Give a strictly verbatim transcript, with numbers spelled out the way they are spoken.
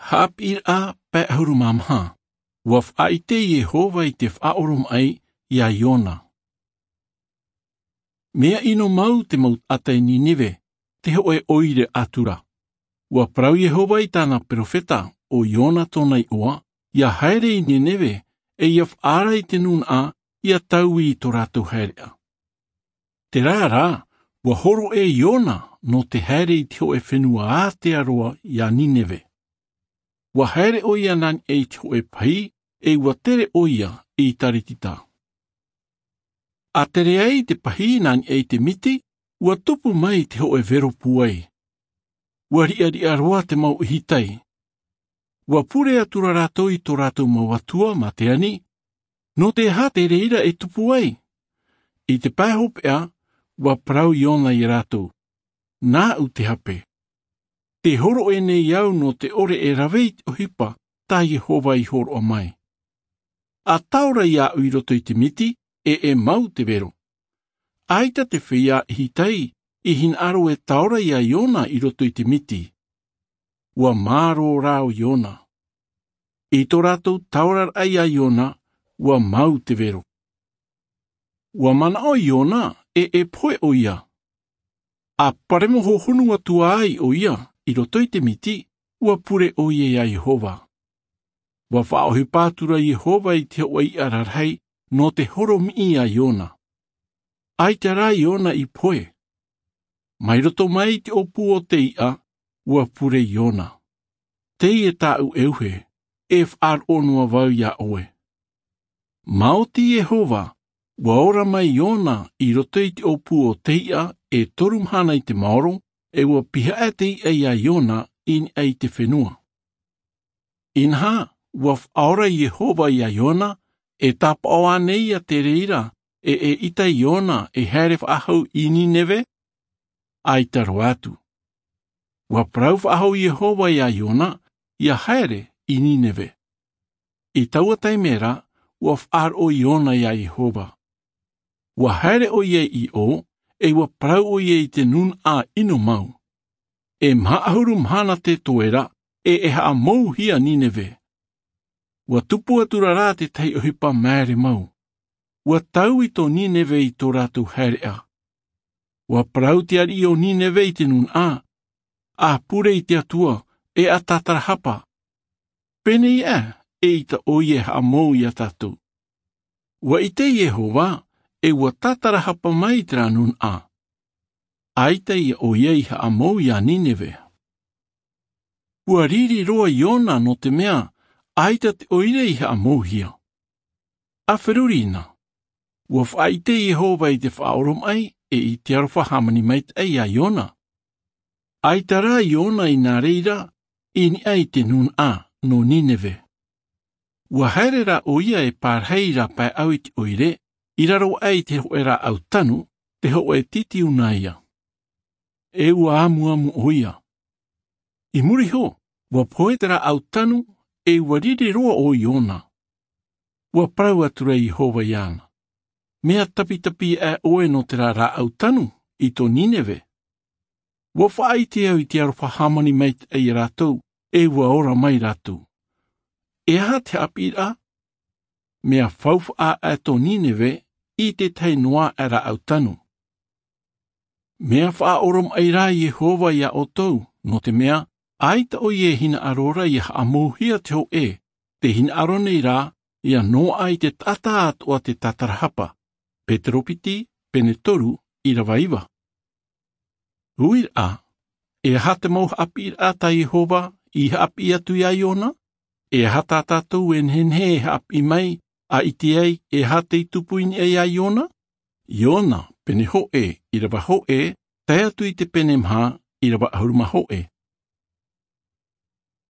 Haʻapiʻiraʻa pae ʻahuru mā maha. Ua faʻaʻite iehova i te faʻaoromaʻi iā iona. Mea ʻino mau te mau taʻata i nineve, te hoʻe ʻoire ʻatura. Ua parau iehova i tāna peropheta, o iona tōna iʻoa, ia haere i nineve, e ia faʻaara i te nūnaʻa, ia taui i tō rātou haereʻa. Terā rā, ua horoʻa iona nō te haere i te hoʻe fenua ātea roa iā nineve. Ua haere ʻoia nā niʻa i te hoʻe pahī, e ua tere ʻoia i taritita. A tere ai te pahī nā niʻa i te miti, ua tupu mai te hoʻe vero pūai. Ua riʻariʻa roa te mau ʻihitai. Ua pure atu rā rātou i tō rātou mau atua mā te ani, nō te aha te reira e tupu ai? I te pae hopeʻa, ua parau iona iā rātou, nāʻu te hape. Te horoʻa nei au nō te ʻore e rave i te ʻohipa tā iehova i horoʻa mai. A taora iāʻu i roto i te miti, e e mau te vero. ʻAita te feiā ʻihitai i hinaʻaro e taora iā iona i roto i te miti. Ua mārō rā o iona. I tō rātou taoraraʻa iā iona, ua mau te vero. Ua manaʻo iona, e e pohe ʻoia. A paremo hohonu atu ai ʻoia i roto i te miti, ua pure ʻoia iā iehova. Ua faʻaʻohipa atu rā iehova i te hoʻe iʻa rarahi nō te horomiʻi iā iona. ʻAita rā iona i pohe. Mai roto mai i te ʻōpū o te iʻa, ua pure iona. Teie tāʻu ʻeuhe, e faʻaroʻo noa vau iā ʻoe. Maoti iehova, ua ora mai iona i roto i te ʻōpū o te iʻa e toru mahana i te maoro, e ua pihaʻa te iʻa iā iona i niʻa i te fenua. Inaha, ua faʻaora iehova iā iona, e tāpaʻo ānei ia te reira, e e ʻita iona e haere faʻahou i nineve? ʻAita roa atu. Ua parau faʻahou iehova iā iona, ia haere i nineve. I taua taime ra, ua faʻaroʻo iona iā iehova. Ua haere ʻoia i ʻō, e ua parau ʻoia i te nūnaʻa ʻino mau. E maha ʻahuru mahana te toe ra, e e haʻamouhia nineve. Ua tupu atu rā rā tētahi ʻohipa māere mau. Ua taui tō nineve i tō rātou haereʻa. Ua parau te ariʻi o nineve i te nūnaʻa, a pure i te atua, e a tātarahapa. Pēnei ā, e ʻita ʻoia e haʻamou iā tātou. Ua ʻite iehova, e ua tātarahapa mai i terā nūnaʻa. ʻAita ia ʻoia i haʻamou iā nineve. Ua riri roa iona nō te mea, ʻaita te ʻoire i haʻamouhia. A feruri na. Ua faʻaʻite iehova i te faʻaoromaʻi, e i te aroha hāmani maitaʻi iā iona. ʻAita rā iona i nā reira, i niʻa i te nūnaʻa nō nineve. Ua haere rā ʻoia e pārahi i rā paeʻau i te ʻoire, i raro aʻe i te hoʻe rāʻau tanu, te hoʻe titiunaia. E ua amuamu ʻoia. I muri iho, ua pohe te rāʻau tanu, e ua riri roa ʻo iona. Ua parau atu rā iehova iāna, mea tapitapi aʻe ʻoe nō terā rāʻau tanu i tō nineve. Ua faʻaʻite au i te aroha hāmani maitaʻi iā rātou, e ua ora mai rātou. E aha te haʻapiʻiraʻa? Mea faufaʻa aʻe tō nineve i tētahi noa aʻe rāʻau tanu. Mea faʻaoromaʻi rā iehova iā ʻoutou, nō te mea, ʻaita ʻoia e hinaʻaro ra ia haʻamouhia te hoʻe, te hinaʻaro nei rā ia noaʻa i te taʻata atoʻa te tātarahapa. Petero piti, pene toru, ʻirava iva. Uiraʻa, e aha te mau haʻapiʻiraʻa tā iehova i haʻapiʻi atu iā iona? E aha tā tātou e nehenehe e haʻapiʻi mai, a ʻite ai e aha tei tupu i niʻa iā iona? Iona, pene hoʻe, ʻirava hoʻe, tae atu i te pene maha, ʻirava ʻahuru mā hoʻe.